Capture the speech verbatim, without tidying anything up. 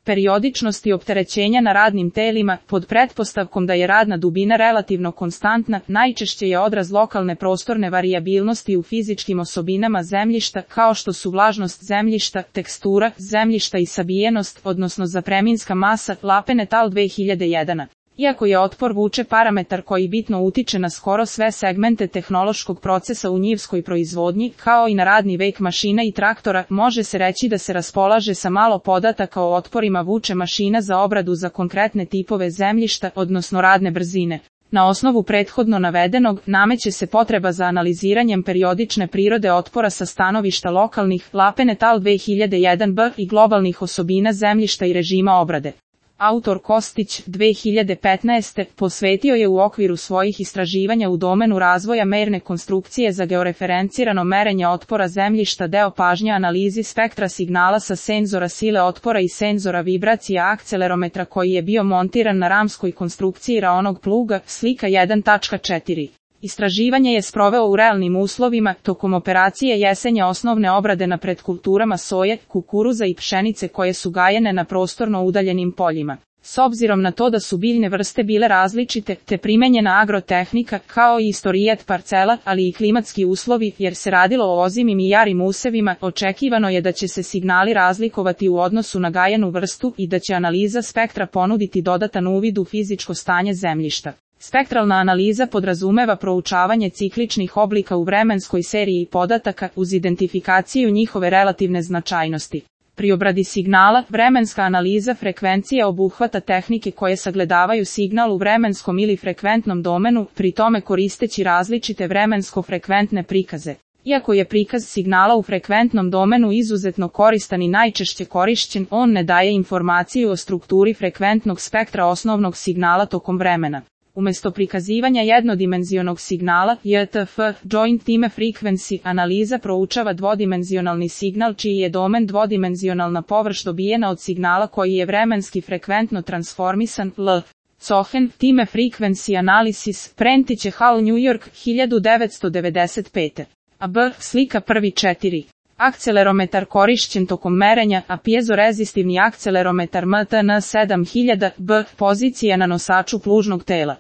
periodičnosti opterećenja na radnim telima, pod pretpostavkom da je radna dubina relativno konstantna, najčešće je odraz lokalne prostorne varijabilnosti u fizičkim osobinama zemljišta, kao što su vlažnost zemljišta, tekstura zemljišta i sabijenost, odnosno zapreminska masa, Lapen et al. dve hiljade jedan. Iako je otpor vuče parametar koji bitno utiče na skoro sve segmente tehnološkog procesa u njivskoj proizvodnji, kao i na radni vek mašina i traktora, može se reći da se raspolaže sa malo podataka o otporima vuče mašina za obradu za konkretne tipove zemljišta, odnosno radne brzine. Na osnovu prethodno navedenog, nameće se potreba za analiziranjem periodične prirode otpora sa stanovišta lokalnih, Lapen et al. dve hiljade jedan b i globalnih osobina zemljišta i režima obrade. Autor Kostić, dve hiljade petnaeste. posvetio je u okviru svojih istraživanja u domenu razvoja merne konstrukcije za georeferencirano merenje otpora zemljišta deo pažnje analizi spektra signala sa senzora sile otpora i senzora vibracija akcelerometra koji je bio montiran na ramskoj konstrukciji raonog pluga, slika jedan tačka četiri. Istraživanje je sproveo u realnim uslovima, tokom operacije jesenja osnovne obrade na predkulturama soje, kukuruza i pšenice koje su gajene na prostorno udaljenim poljima. S obzirom na to da su biljne vrste bile različite, te primenjena agrotehnika, kao i istorijat parcela, ali i klimatski uslovi, jer se radilo o ozimim i jarim usevima, očekivano je da će se signali razlikovati u odnosu na gajenu vrstu i da će analiza spektra ponuditi dodatan uvid u fizičko stanje zemljišta. Spektralna analiza podrazumeva proučavanje cikličnih oblika u vremenskoj seriji podataka uz identifikaciju njihove relativne značajnosti. Pri obradi signala, vremenska analiza frekvencije obuhvata tehnike koje sagledavaju signal u vremenskom ili frekventnom domenu, pri tome koristeći različite vremensko-frekventne prikaze. Iako je prikaz signala u frekventnom domenu izuzetno koristan i najčešće korišćen, on ne daje informaciju o strukturi frekventnog spektra osnovnog signala tokom vremena. Umesto prikazivanja jednodimenzionog signala, J T F, Joint Time Frequency, analiza proučava dvodimenzionalni signal čiji je domen dvodimenzionalna površ dobijena od signala koji je vremenski frekventno transformisan, L. Cohen, Time Frequency Analysis, Prentice Hall, New York, hiljadu devetsto devedeset pete. A B. Slika prvi četiri. Akcelerometar korišćen tokom merenja, a pjezorezistivni akcelerometar M T N sedam hiljada B, pozicija na nosaču plužnog tela.